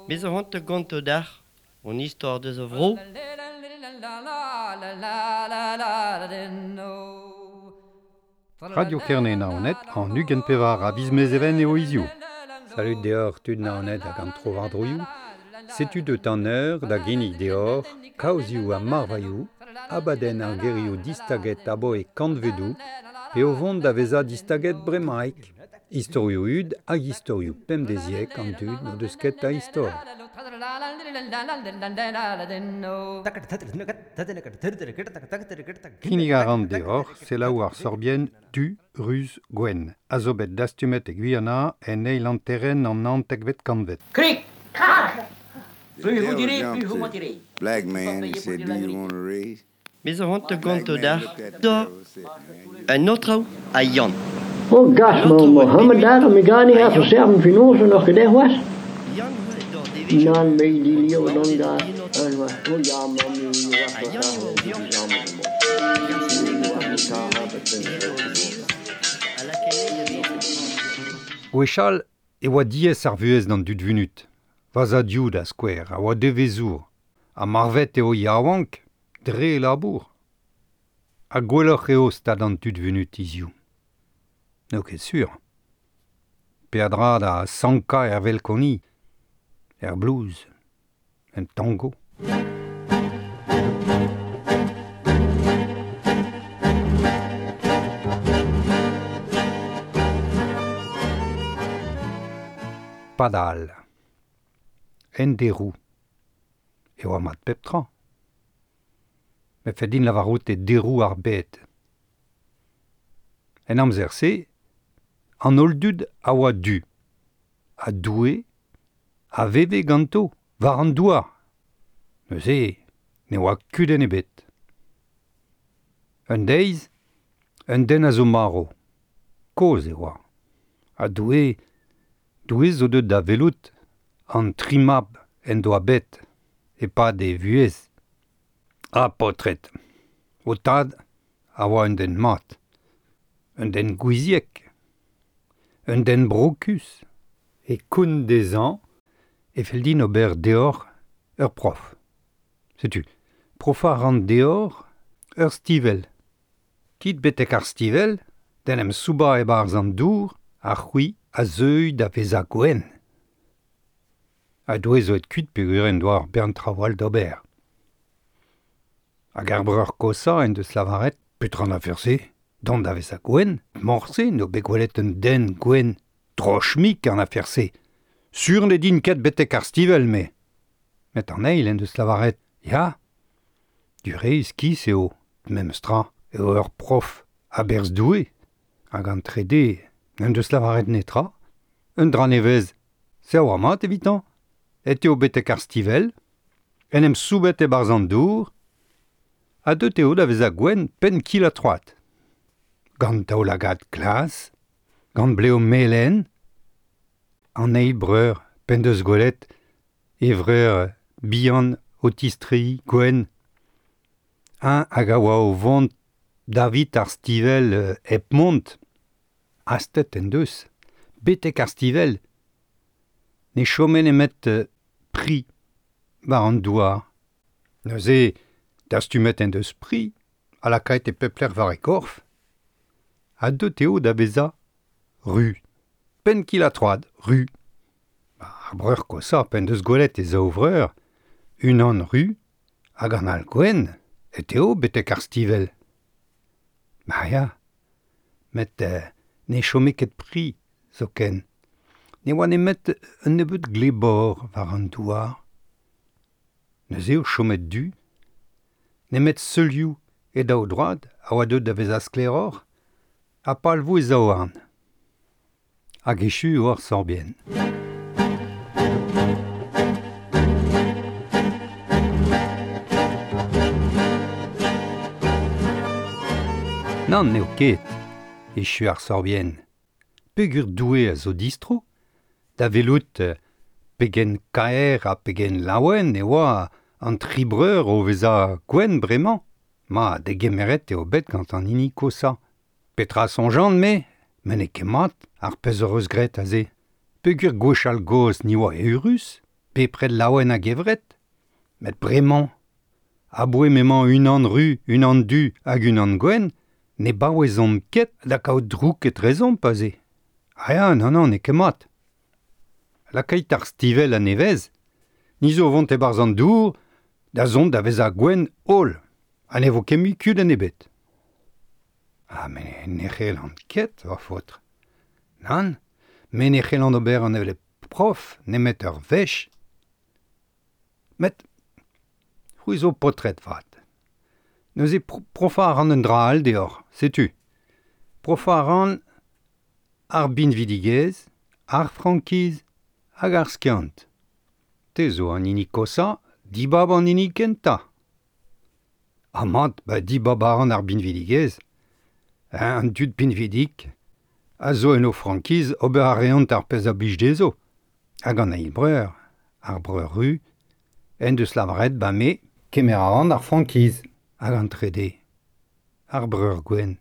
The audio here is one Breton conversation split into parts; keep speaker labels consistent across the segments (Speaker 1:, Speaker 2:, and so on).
Speaker 1: Me zo c'hoant da gontañ deoc'h hon istor deus a vro.
Speaker 2: Radio Kerne Naoned an 24 a viz Mezheven eo hiziv.
Speaker 3: Salud deoc'h tud Naoned hag an trowardroioù. Setu deut an eur da ginnig deoc'h kaozioù ha marvailhoù, abadenn ar gerioù distaget aboe kantvedoù pe o vont da vezañ distaget bremaik. Istorioù hud hag istorioù pemdeziek an dud n'o deus ket a istor.
Speaker 2: Kinnig a ran deoc'h selaou ar sorbienn Du, Ruz, Gwenn, a zo bet dastumet e Gwiana en eil hanterenn an naontekvet kantved.
Speaker 4: Krik, krak!
Speaker 5: The
Speaker 4: Plus vous
Speaker 5: devil
Speaker 4: direz,
Speaker 5: jumped
Speaker 4: plus vous
Speaker 5: to
Speaker 4: mentirez.
Speaker 5: black man and
Speaker 4: Payez pour
Speaker 5: said,
Speaker 4: dire
Speaker 5: Do
Speaker 4: la
Speaker 5: you
Speaker 4: vérité.
Speaker 5: want a raise?
Speaker 1: Me zo c'hoant da
Speaker 5: Black
Speaker 1: gontañ
Speaker 5: man
Speaker 1: deoc'h
Speaker 5: looked at the
Speaker 1: da
Speaker 5: devil and said, Man, you
Speaker 1: un aotrou ha Yann.
Speaker 6: Oh gas,
Speaker 1: An aotrou
Speaker 6: ma
Speaker 1: oa
Speaker 6: Mohammed
Speaker 1: bet
Speaker 6: daar, me ga niet
Speaker 1: ha
Speaker 6: even
Speaker 1: Yann.
Speaker 6: serven finoze nog gedaan was.
Speaker 1: Yann oa d'ar devezhioù
Speaker 6: Nan me die
Speaker 1: oa
Speaker 6: leeuw dan
Speaker 1: digoret
Speaker 6: daar.
Speaker 1: en aotrou.
Speaker 6: En was, oh ja, man, nu was
Speaker 1: Ha
Speaker 6: dat
Speaker 1: Yann
Speaker 6: daar,
Speaker 1: eo
Speaker 6: die
Speaker 1: Yann.
Speaker 6: samen
Speaker 1: Hag ar
Speaker 6: Nu
Speaker 1: seneget
Speaker 6: was
Speaker 1: an
Speaker 6: het daar,
Speaker 1: aotrou
Speaker 6: heb ik
Speaker 1: e eo
Speaker 6: een
Speaker 1: vez ha lakaet da vez.
Speaker 2: Gwechall e oa diaes ar vuhez d'an dud vunut. Va zadioù da skouer a oa devezour. Ha marvet eo yaouank dre e labour. Ha gwelloc'h eo stad an dud vunut hiziv. N'eo ket sur. Peadra da sankañ er velkoni, er blues, en tango. Padal. En deroù. E oa mat pep tra. Me fell din lavarout e deroù ar bed. En amzer-se, an holl dud a oa du. Ha Doue a veve ganto, war an douar. Neuze, ne oa kudenn ebet. Un deiz, un den a zo marv. Kozh e oa. Ha Doue, Doue zo deut da welout an tri mab en doa bet e-pad e vuhez. Ha paotred, ho tad a oa un den mat, un den gouiziek, un den brokus. E koun dezhañ e fell din ober deoc'h ur prof. Setu, profañ a ran deoc'h ur stivell. Kit betek ar stivell, d'en em soubañ e-barzh an dour, ha c'hwi a zeuy da vezañ gwenn. Ha Doue zo aet kuit peogwir en doa ur bern traoù all d'ober. Hag ar breur kosañ en deus lavaret petra an afer-se, dont da vezañ gwenn, morse n'eo bet gwelet un den gwenn, droch-mik an afer-se. Sur ne din ket betek ar stivell, me. Met an eil en deus lavaret, ya, du re iskis eo, memes tra, eo ur prof a-berzh Doue. Hag an trede n'en deus lavaret netra, un dra nevez, se a oa mat evitañ. Et eo betek ar stivell, en em soubet e-barzh an dour, ha deut eo da vezañ gwenn penn kil ha troad. Gant daoulagad glas, gant blev melen, an eil breur p'en deus gwelet e vreur bihan o tistreiñ gwenn. Un hag a oa o vont davit ar stivell hep mont. Hastet en deus, betek ar stivell. Ne chome nemet pri war an douar. Neuze, dastumet en deus pri, ha lakaet e pep lec'h war e korf. Ha deut eo da vezañ ru. Penn kil ha troad, ru. Ar breur kosañ p'en deus gwelet e zaou vreur, unan ru hag an all gwenn, et eo betek ar stivell. Ma ya, met ne chome ket pri zoken. Ne oa nemet un nebeud glebor war an douar. Neuze eo chomet du. Nemet seulioù e daou droad a oa deut da vezañ sklaeroc'h ha palvoù e zaouarn. Hag echu eo ar sorbienn. Nann n'eo ket, echu ar sorbienn. Peogwir Doue a zo distro, da welout pegen kaer ha pegen laouen e oa an tri breur o vezañ gwenn bremañ. Ma degemeret eo bet gant an hini kosañ. Petra soñjan me? Met n'eo ket mat ar pezh hoc'h eus graet aze. Peogwir gwechall gozh ni oa eürus, bepred laouen a-gevret. Met bremañ, aboe m'emañ unan ru, unan du hag unan gwenn, ne baouezomp ket da kaout drouk etrezomp aze. Ah ya, nann, nann, n'eo ket mat. Lakait ar stivell a-nevez, ni zo vont e-barzh an dour da zont da vezañ gwenn holl, ha ne vo ket mui kudenn ebet. Ha me ne c'hellan ket, va faotr. Nann, me ne c'hellan ober an hevelep prof nemet ur wech. Met c'hwi zo paotred 'vat. Neuze profañ a ran un dra all deoc'h, setu. Profañ a ran ar binvidigezh, ar frankiz hag ar skiant. Te zo an hini koshañ, dibab an hini kentañ. Ha mat, ba dibab a ran ar binvidigezh. An dud pinvidik a zo en o frankiz ober a reont ar pezh a blij dezho. Hag an eil breur, ar breur ru, en deus lavaret ba me kemer a ran ar frankiz. Hag an trede, ar breur gwenn.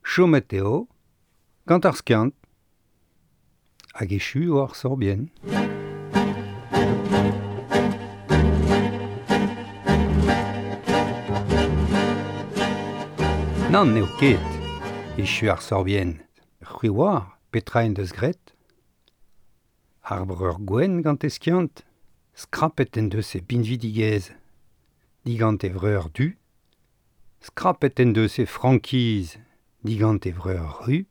Speaker 2: Chomet eo gant ar skiant. Hag echu eo ar sorbienn. Nann, n'eo ket. Echu ar sorbienn. C'hwi oar petra en deus graet? Ar breur gwenn gant e skiant. Skrapet en deus e binvidigezh. Digant e vreur du. Skrapet en deus e frankiz digant e vreur ru.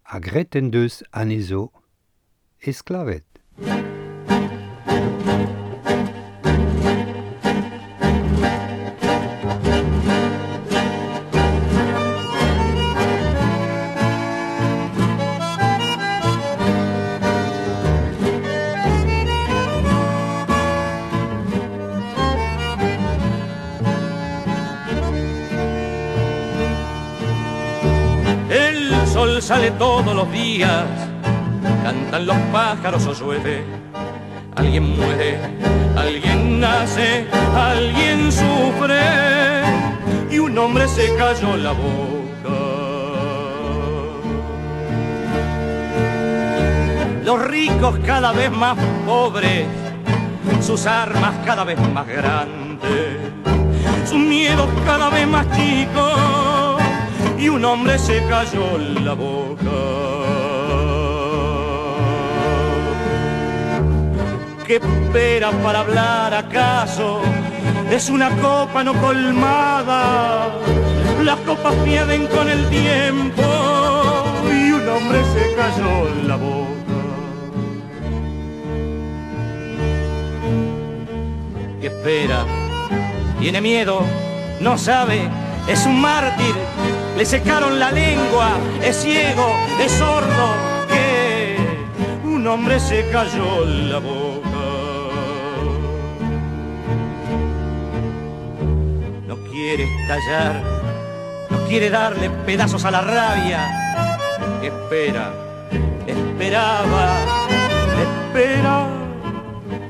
Speaker 2: Ha graet en deus anezho esklaved.
Speaker 4: El sol sale todos los días, cantan los pájaros o llueve. Alguien muere, alguien nace, alguien sufre y un hombre se calló la boca. Los ricos cada vez más pobres, sus armas cada vez más grandes, sus miedos cada vez más chicos y un hombre se calló la boca. ¿Qué espera para hablar acaso? Es una copa no colmada. Las copas pierden con el tiempo y un hombre se calló la boca. ¿Qué espera? Tiene miedo, no sabe, es un mártir. Le secaron la lengua, es ciego, es sordo. ¿Qué? Un hombre se calló la boca. No quiere estallar, no quiere darle pedazos a la rabia. Espera, esperaba, espera.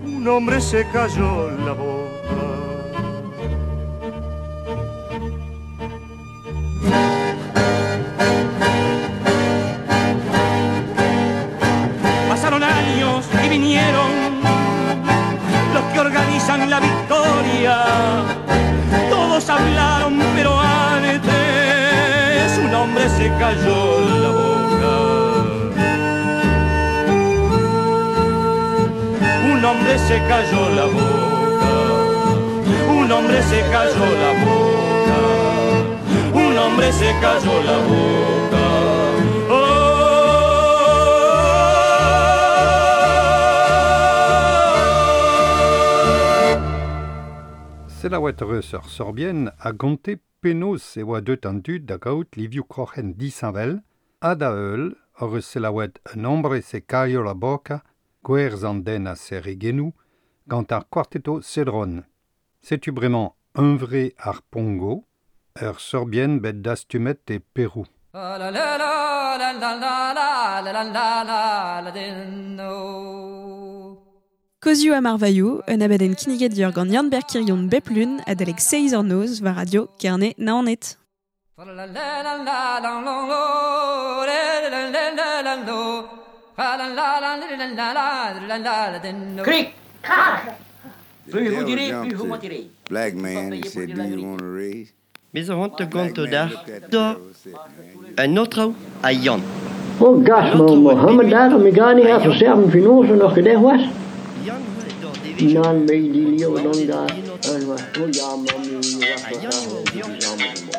Speaker 4: Un hombre se calló la boca. Pasaron años y vinieron los que organizan la victoria. Todos hablaron, pero antes un hombre se calló la boca. Un hombre se calló la boca. Un hombre se calló la boca. Un hombre se calló la boca.
Speaker 2: Selaouet eus ur sorbienn a gonte penaos e oa deut an dud da gaout livioù kroc'hen disheñvel, ha da heul hor eus selaouet un hombre se calló la boca, gwerzh an den a serr e genoù, gant ar quartetto Cédron. Setu bremañ hunvre ar Pongo, ur sorbienn bet dastumet e Perou.
Speaker 7: Kozioù ha marvailhoù, un abadenn kinniget deoc'h gant Yann-Ber Quirion bep lun adalek seizh eur noz war radio Kerne Naoned.
Speaker 8: Cric, crac.
Speaker 5: The
Speaker 8: Plus vous
Speaker 5: devil
Speaker 8: direz,
Speaker 5: jumped
Speaker 8: plus vous
Speaker 5: to
Speaker 8: mentirez.
Speaker 5: Black man and said, "Do you want a raise?"
Speaker 1: Me zo hont
Speaker 5: Black
Speaker 1: gonto
Speaker 5: man
Speaker 1: dar
Speaker 5: looked at the
Speaker 1: da
Speaker 5: devil and said, "Man, you
Speaker 1: un autre a Yann.
Speaker 6: Oh, gas,
Speaker 1: An autre
Speaker 6: ma
Speaker 1: oa
Speaker 6: Mohammed
Speaker 1: bet
Speaker 6: daar, me gani
Speaker 1: a
Speaker 6: ha
Speaker 1: Yann.
Speaker 6: serven finoz noch gedeh was.
Speaker 1: Yann oa dor devezh.
Speaker 6: Nan me di lio don da.
Speaker 1: An autre
Speaker 6: En wa, oh ja, ma mi wa
Speaker 1: a Yann oa o vioc'h.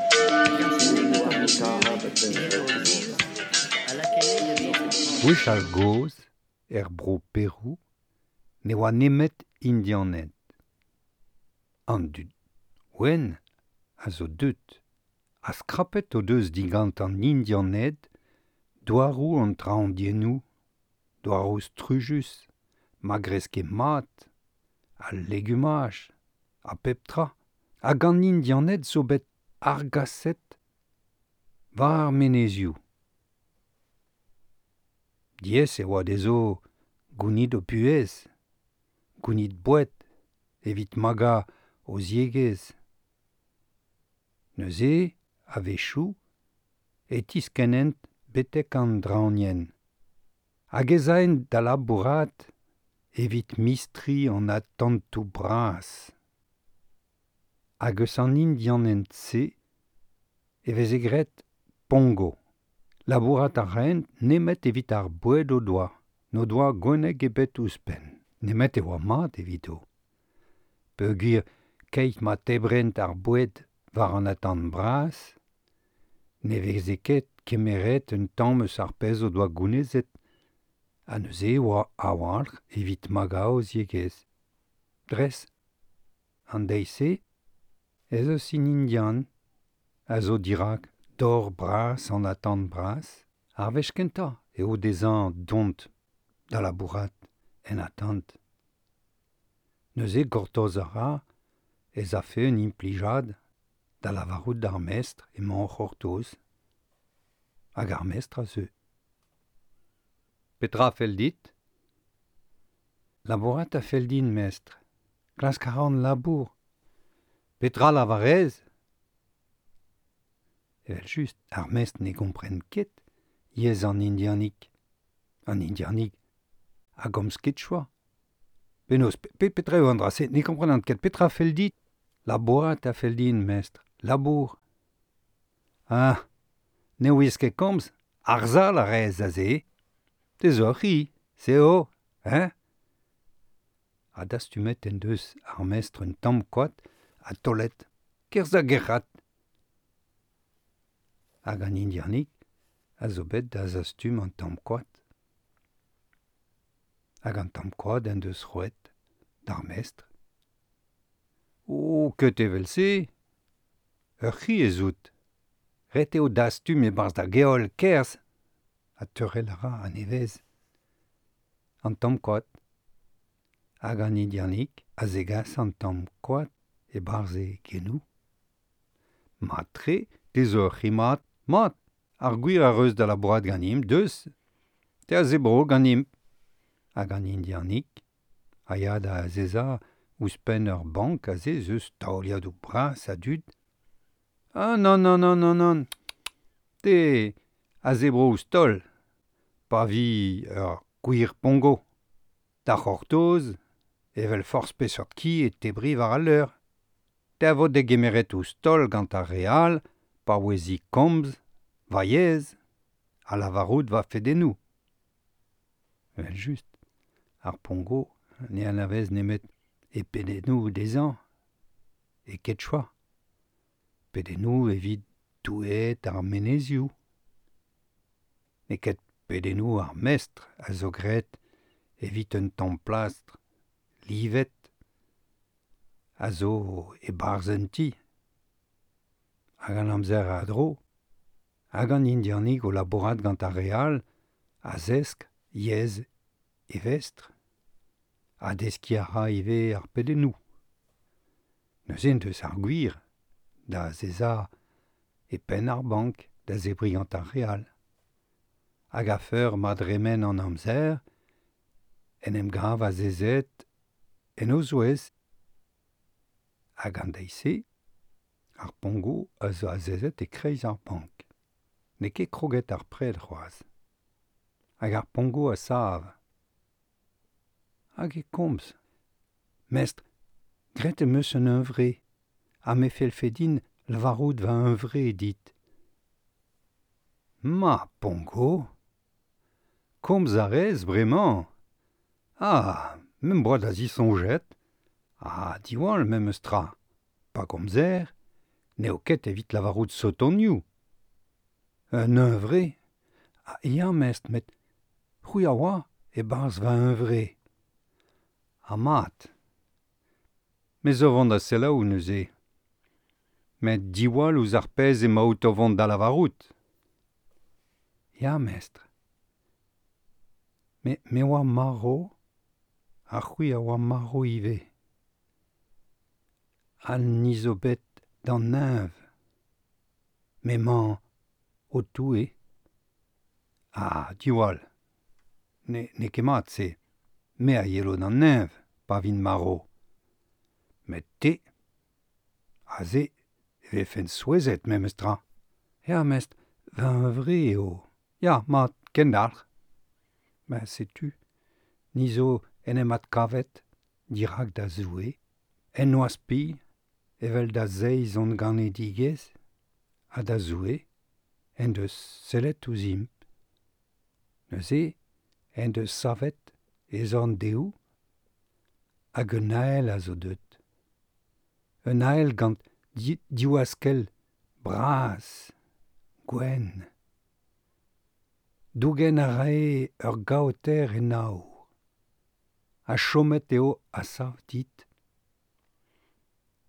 Speaker 1: A lakae a vez.
Speaker 2: Gwech al goz, er bro Perou, ne oa nemet indianed. An dud wenn a zo deut, a skrapet o deus digant an indianed, doarou an traondiennou, doarou strujus, ma greske mat, a legumaj, a pep tra, hag an indianed zo bet argaset war ar menezioù. Diez e oa dezo gounid o puez, gounid boued, evit maga o ziegez. Neuze, a-wechoù, e tiskenent betek an draoñienn. Hag ez aent da labourat evit mistri an atantoù bras. Hag eus an indianent-se e veze graet pongo. Labourat a raent nemet evit ar boued o doa, n'o doa gwenneg ebet ouzhpenn. Nemet e oa mat evito. Peogwir keit ma tebrent ar boued war an atant bras, ne veze ket kemeret un tamm eus ar pezh o doa gounezet, ha neuze oa a-walc'h evit maga o ziegezh. Dres, an deiz-se, ez eus un indian a zo dirak dor bras an atant bras, ar wech kentañ eo dezhañ dont da labourat en atant. Neuze gortoz a ra ez afe un implijad da lavarout d'ar mestr emañ o c'hortoz, hag ar mestr a zeu. Petra fell dit? Labourat a fell din, mestr. Klask a ran labour. Petra lavarez? Evel just, ar mestr ne gompren ket yezh an indianig. An indianig a gomz ket choa. Penaos, pe petra eo an dra-se, ne komprenan ket petra fell dit? Labourat a fell din, mestr. Labour. Ah, ne ouiez ket komz, arzhal a rez aze. Te zo ur c'hi, se eo, hein? Ha dastumet en deus ar mestr un tamm koad ha taolet, kerzh da gerc'hat. Hag an indianig a zo bet da zastum an tamm koad. Hag an tamm koad en deus roet d'ar mestr. O, ket evel-se! Ur c'hi ez out. Ret eo dastum e-barzh da geol kerzh ha teurel a ra a-nevez. An tamm koad. Hag an indianig a zegas an tamm koad e-barzh e genoù. Mat-tre, te zo ur c'hi mat, mat, ar gwir a reus da labourat ganimp, deus, te a zebro ganimp. Hag an indianig a ya da azezañ ouzhpenn ur bank aze ez eus taoliadoù bras a dud. Ah non, non, non, non, non, te a zebro ouzh taol, pa vi ur gwir pongo. Da c'hortoz, evel forzh peseurt ki e tebri war al leur. Te a vo degemeret ouzh taol gant ar re all, pa ouezi komz, va yezh, ha lavarout va fedennoù. Evel just, ar pongo ne anavez nemet e pedennoù dezhañ, e quechua. Pedennoù evit doueed ar menezioù. N'eo ket pedennoù ar mestr a zo graet evit un tamm plastr livet a zo e-barzh un ti. Hag an amzer a dro, hag an indianig o labourat gant ar re all a zesk yezh e vestr, ha deskiñ a ra ivez ar pedennoù. Neuze en deus ar gwir da azezañ e penn ar bank da zebriñ gant ar re all. Hag a-feur ma dremen an amzer, en em gav azezet en o zouez. Hag an deiz-se, Ar Pongo a zo azezet e kreiz ar bank. N'eo ket kroget ar pred c'hoazh. Hag ar Pongo a sav. Hag e komz. Mestr, graet em eus un hunvre, ha me fellfe din lavarout va hunvre dit. Ma, Pongo! Komz a rez bremañ! Ah, me'm boa da zisoñjet. Ah, diwall memes tra. Pa gomzer, n'eo ket evit lavarout sotonioù. Un hunvre? Ah, ya, mestr, met c'hwi a oa e-barzh va hunvre. Ha mat. Me zo vont da selaou neuze. Met diwall ouzh ar pezh emaout o vont da lavarout. Ya, mestr. Me, me oa marv, ha c'hwi a oa marv ivez. Ha ni zo bet d'an neñv. M'emañ ho Toue. Ah, diwall. Ne, n'eo ket mat se. Me a yelo d'an neñv pa vin marv. Met te, aze e vefen souezhet memes tra. Ya, mestr, va hunvre eo. Ya, mat, kendalc'h. Ma setu, ni zo en em adkavet dirak da Zoue, en noazh-pilh, evel da zeiz hon ganedigezh, ha da Zoue en deus sellet ouzhimp. Neuze en deus savet e zorn dehou, hag un ael a zo deuet. Un ael gant div askell bras, gwenn. Dougen a rae ur gaoter en aour. Ha chomet eo a-sav dit.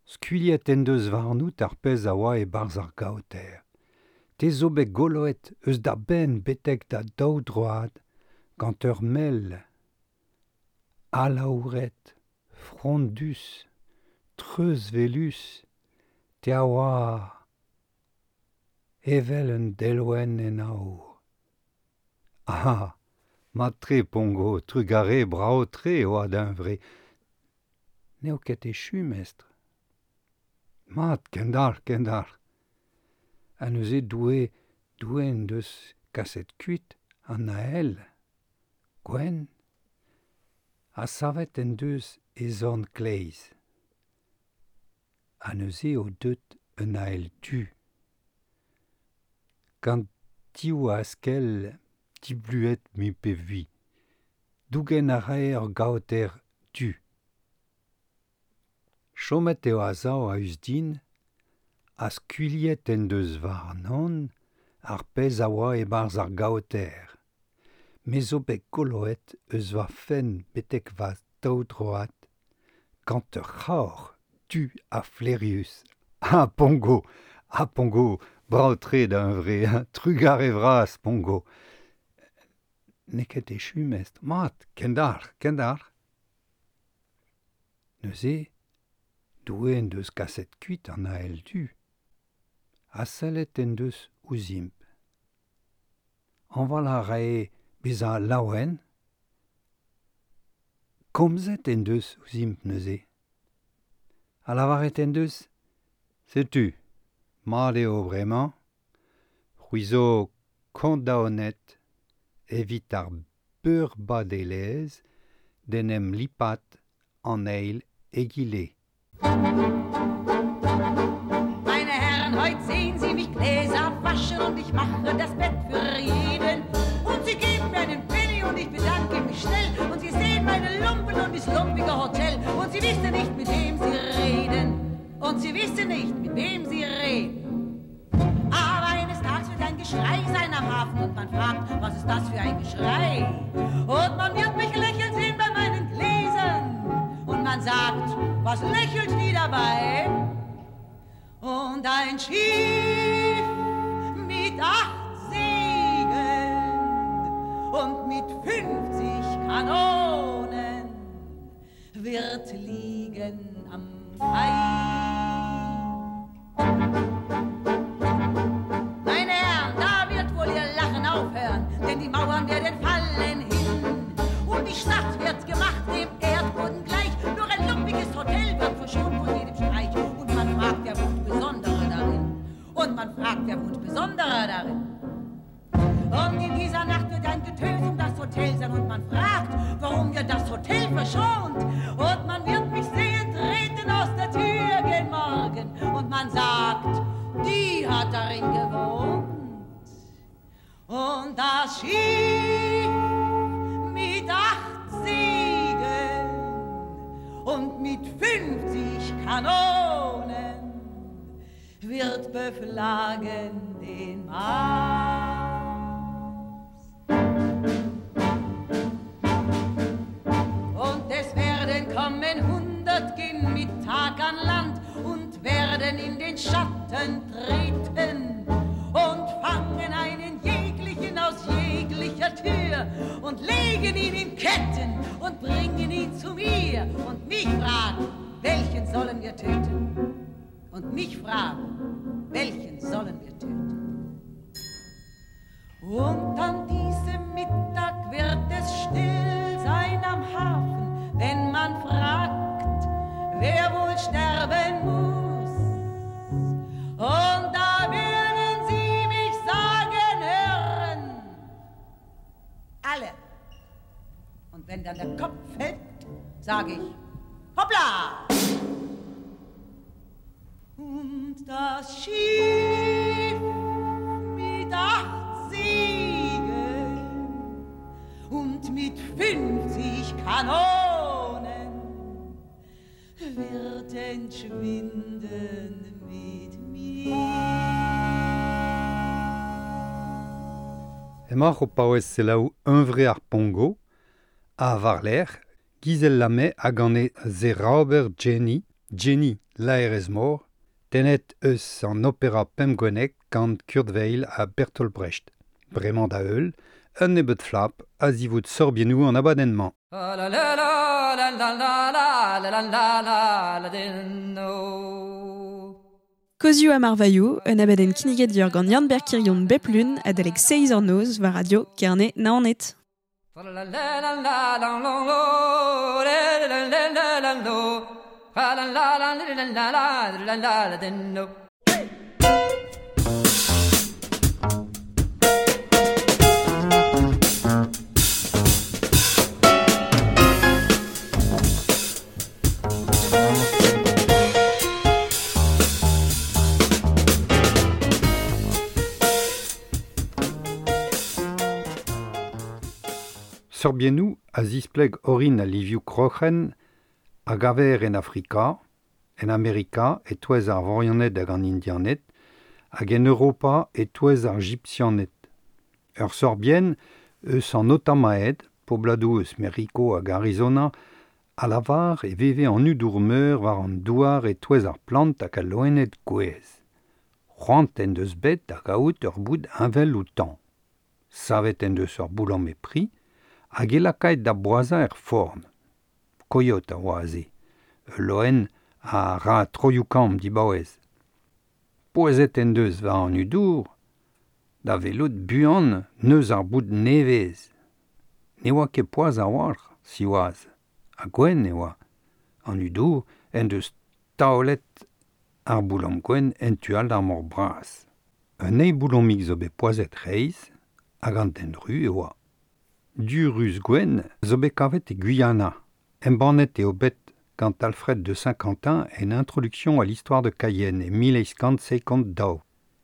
Speaker 2: Skuilhet en deus warnout ar pezh a oa e-barzh ar gaoter. Te zo bet goloet eus da benn betek da daou droad gant ur mell alaouret, frondus, treuzwelus, te a oa evel un delwenn en aour. Ah, mat-tre, Pongo, trugarez, brav-tre e oa da hunvre. N'eo ket echu, mestr. Mat, kendalc'h, kendalc'h. Ha neuze Doue, Doue en deus kaset kuit an ael, gwenn, ha savet en deus e zorn kleiz. Ha neuze eo deut un ael du. Gant div askell dibluet mui pe vui. Dougen a rae ur gaoter du. Chomet eo a-sav a-us din ha skuilhet en deus warnon ar pezh a oa e-barzh ar gaoter. Me zo bet goloet eus va fenn betek va daou droad gant ur c'haoc'h du ha flaerius. Ah, Pongo! Ah, Pongo! Brav-tre da hunvre, trugarez vras, Pongo! N'eo ket echu, mestr. Mat, kendalc'h, kendalc'h. Neuze, Doue en deus kaset kuit an ael du ha sellet en deus ouzhimp. Hañval a rae bezañ laouen. Komzet en deus ouzhimp neuze. Ha lavaret en deus Setu, mat eo bremañ, c'hwi zo kondaonet evit ar beurbadelezh d'en em lipat an eil egile.
Speaker 8: Meine Herren, heute sehen Sie mich Gläser waschen und ich mache das Bett für jeden. Und Sie geben mir einen Penny und ich bedanke mich schnell. Und Sie sehen meine Lumpen und das lumpige Hotel. Und Sie wissen nicht, mit wem Sie reden. Und Sie wissen nicht, mit wem Sie reden. Aber eines Tages wird ein Geschrei sein am Hafen und man fragt, was ist das für ein Geschrei? Und man wird mich lächeln sehen bei meinen Gläsern. Und man sagt, was lächelt die dabei? Und ein Schiff mit 8 Segeln und mit 50 Kanonen wird liegen am Kai. Meine Herren, da wird wohl ihr Lachen aufhören, denn die Mauern werden fallen hin. Und die Stadt wird gemacht dem Erdboden gleich, nur ein lumpiges Hotel wird verschont von jedem Streich. Und man fragt, der wohnt besondere schlagen den Mast. Und es werden kommen 100 gehen mit Tag an Land und werden in den Schatten treten und fangen einen jeglichen aus jeglicher Tür und legen ihn in Ketten und bringen ihn zu mir und mich fragen, welchen sollen wir töten? Und mich fragen, welchen sollen wir töten? Und an diesem Mittag wird es still sein am Hafen, wenn man fragt, wer wohl sterben muss. Und da werden sie mich sagen hören, alle. Und wenn dann der Kopf fällt, sage ich, hoppla! Und das Schiff mit 8 Segeln und mit 50 Kanonen wird entschwinden mit mir.
Speaker 3: Emañ o paouez selaou hunvre ar Pongo, a varler, Gizel Lame hag an e zeraober Jenny, Jenny laerez mor, tenet eus an opera pemgwenek gant Kurt Weill ha Bertolt Brecht. Bremañ da heul, un nebeud flap a zivout sorbiennoù an abadenn-mañ.
Speaker 7: Kozioù ha marvailhoù, un abadenn kinniget ur gant Yann Berkirion bep lun adalek 6 eur noz war radio Kerne Naoned.
Speaker 3: Sorbiennoù a zispleg orin al livioù kroc'hen hag aver en Afrika, en Amerika e-touez ar Vorianed hag an Indianed, hag en Europa e-touez ar Gipsianed. Ur sorbienn eus an Otamaed, pobladoù eus Merico hag Arizona, a lavar e veve an udour-meur war an douar e-touez ar plant hag al loened gouez. C'hoant en deus bet da gaout ur boud heñvel outañ. Savet en deus ur boulamm e pri, hag e lakaet da boazañ er forn. Koyot a oa aze. Ul loen a ra troioù-kamm dibaouez. Poazet en deus war an udour, da welout buan neus ar boud nevez. Ne oa ket poaz a-walc'h, siwazh, ha gwenn e oa. An udour en deus taolet ar boulamm gwenn en tu all d'ar mor bras. Un eil boulammig zo bet poazet reizh hag an den ru e oa. Du ruz gwenn zo bet kavet e Guyana. Embannet eo bet gant Alfred de Saint-Quentin en Introduction à l'histoire de Cayenne e 1852.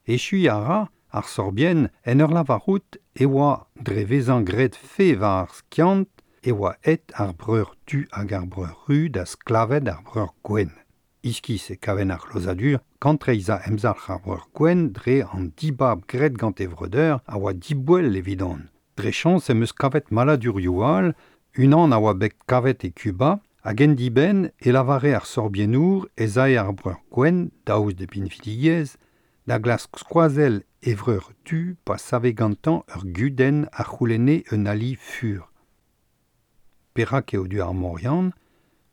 Speaker 3: Echu a ra ar sorbienn en ur lavarout e oa dre vezañ graet fe war ar skiant e oa et ar breur du hag ar breur ru da sklaved ar breur gwenn. Iskis e kaven ar c'hlozadur, kantreizhañ emzalc'h ar breur gwenn dre an dibab graet gant e vreudeur a oa diboell evidon. Dre chañs em eus kavet maladurioù all, unan a oa bet kavet e Cuba, hag en dibenn e lavare ar sorbiennour ez ae ar breur gwenn, daoust de pinvidigezh, da glask skoazell e vreur du pa save gantañ ur gudenn a c'houlenne un ali fur. Perak eo du ar morian,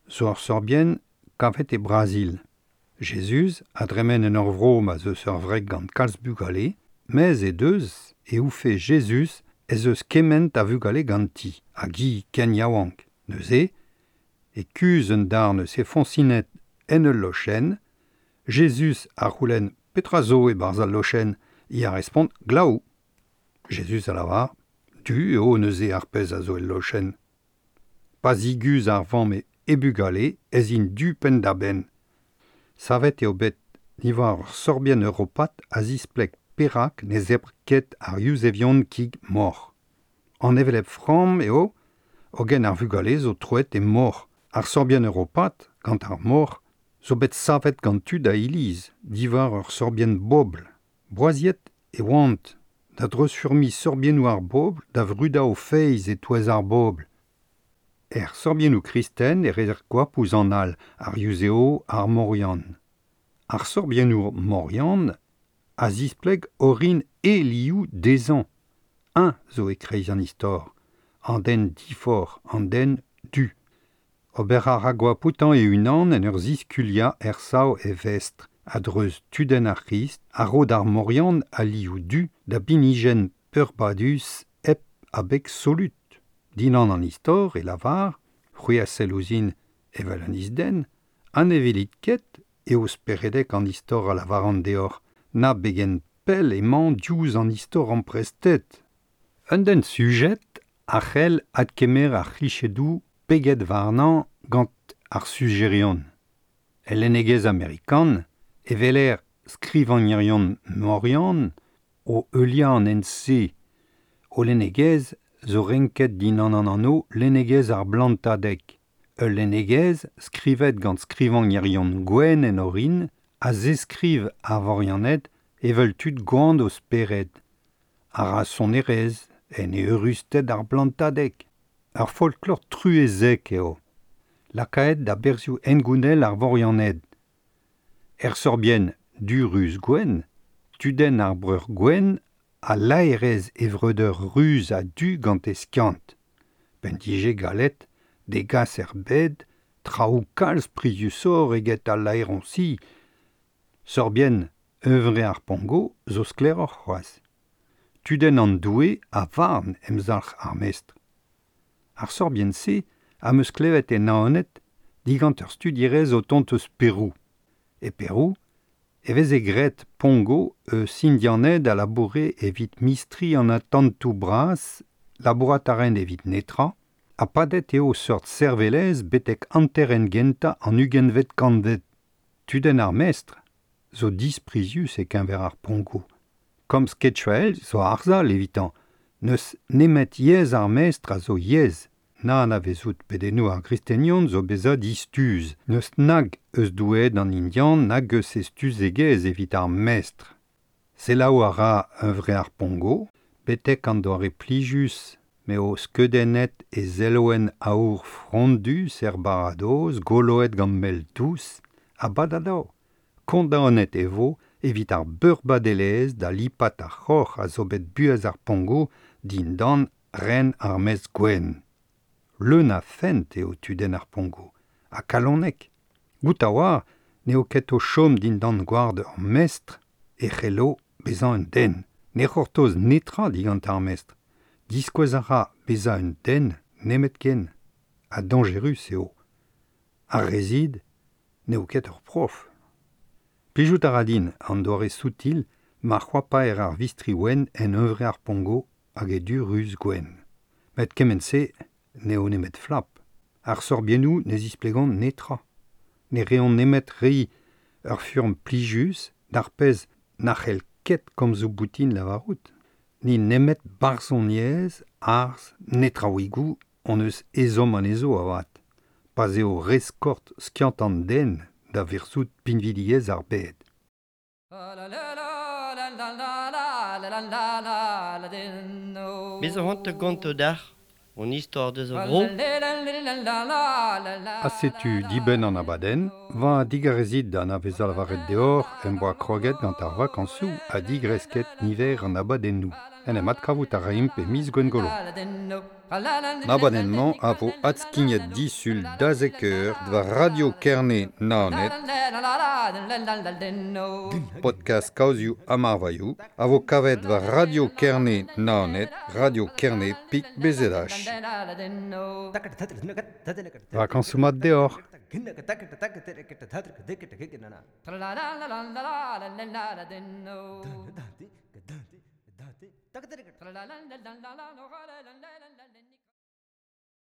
Speaker 3: zo ar sorbienn kavet e Brazil. Jezuz a dremen en ur vro ma zeus ur wreg gant kalz bugale, mez e deus e oufe Jezuz ez eus kement a vugale ganti, hag hi ken yaouank. Neuze, e kuzh un darn eus he foñsinet en ul lochenn, Jezuz a c'houlenn petra zo e-barzh al lochenn, hi a respont glaou. Jezuz a lavar, du eo neuze ar pezh a zo el lochenn. Pa ziguzh ar vamm e bugale ez int du penn-da-benn. Savet eo bet diwar ur sorbienn europat a zispleg perak ne zebr ket ar Yuzevion kig mor. An hevelep framm eo, hogen ar vugale zo troet e mor. Ar sorbienn europat, gant ar mor, zo bet savet gant tud a iliz, diwar ur sorbienn bobl.
Speaker 2: Boaziet e oant da dreuzfurmiñ sorbiennoù ar bobl da vrudañ o feiz e-touez ar bobl. Er sorbiennoù kristen e reer goap ouzh an all, ar Yuzeo, ar Morian. Ar sorbiennoù Morian a zispleg orin e liv dezhañ. Un zo e-kreiz an istor, an den difor, an den du. Ober a ra goap outañ e-unan en ur ziskuliañ ersav e vestr, a-dreuz tudenn ar C'hrist, a ro d'ar Morian al liv du da binijenn peurbadus hep abeg solut. Dindan an istor e lavar, c'hwi a sell ouzhin evel un isden, ha ne welit ket eo speredek an istor a lavaran deoc'h, na begen pell emañ diouzh an istor amprestet. Un den sujet a c'hell adkemer ar c'hlichedoù peget warnañ gant ar sujerion. El lennegezh amerikan e weler skrivagnerion Morian o heuliañ an hent-se. O lennegezh zo renket dindan an anv lennegezh ar blantadeg. Ul lennegezh skrivet gant skrivagnerion gwenn en orin a zeskriv ar Vorianed evel tud gwan o spered. A ra sonerezh en eürusted ar blantadeg. Ur folklor truezek eo. Lakaet da berzhioù hengounel ar Vorianed. Er sorbienn du ruz gwenn, tudenn ar breur gwenn a laerez e vreudeur ruz ha du gant e skiant. P'en dije gallet degas er bed traoù kalz priziusoc'h eget al laeroñsi. Sorbienn Hunvre ar Pongo zo sklaeroc'h c'hoazh. Tudenn an doue a varn emzalc'h ar mestr. Ar sorbienn-se am eus klevet e Naoned digant ur studierez o tont eus Perou. E Perou e veze graet Pongo eus Indianed a laboure evit mistri an atantoù bras, labourat a raent evit netra, ha padet eo seurt servelezh betek hanterenn gentañ an ugentvet kantved. Tudenn ar mestr zo disprizius e-keñver ar Pongo. Komz ketchuael zo arzhal evitañ. N'eus nemet yezh ar mestr a zo yezh. Na anavezout pedennoù ar gristenion zo bezañ distuz. N'eus nag eus doueed an Indian nag eus e stuzegezh evit ar mestr. Selaou a ra hunvre ar Pongo, betek an doare plijus m'eo skeudennet e zelwenn aour frondus er baradoz goloet gant mel dous, ha badadav. Kondaonet e vo evit ar beurbadelezh da lipat ar c'horr a zo bet buhez ar Pongo dindan ren ar mestr gwenn. Leun a fent eo tudenn ar Pongo, ha kalonek. Goût a oar n'eo ket o chom dindan gward ur mestr e c'hello bezañ un den. Ne c'hortoz netra digant ar mestr. Diskouez a ra bezañ un den nemetken. Ha dañjerus eo. Ar rezid n'eo ket ur prof. Plijout a ra din an doare soutil ma c'hoapaer ar vistri wenn en hunvre ar Pongo hag e du ruz gwenn. Met kement-se n'eo nemet flap. Ar sorbiennoù ne zisplegont netra. Ne reont nemet reiñ ur furm plijus d'ar pezh na c'hell ket komzoù boutin lavarout. Ni nemet barzhoniezh, arz, netraouigoù hon eus ezhomm anezho avat. Pa'z eo re skort skiant an den da verzout pinvidigezh ar bed.
Speaker 1: Bez zo c'hoant da gontañ deoc'h hon istor deus ar vro.
Speaker 2: Ha setu dibenn an abadenn, va digarezit da anavezañ lavaret deoc'h em boa kroget gant ar vakañsoù ha digresket niver an abadennoù. En em adkavout a raimp e miz Gwengolo. An abadenn-mañ a vo adskignet disul da zek eur war Radio Kerne Naoned, podcast kaozioù ha marvailhoù, a vo kavet war Radio Kerne Naoned, Radio Kerne pik BZH. Vakañsoù mat deoc'h!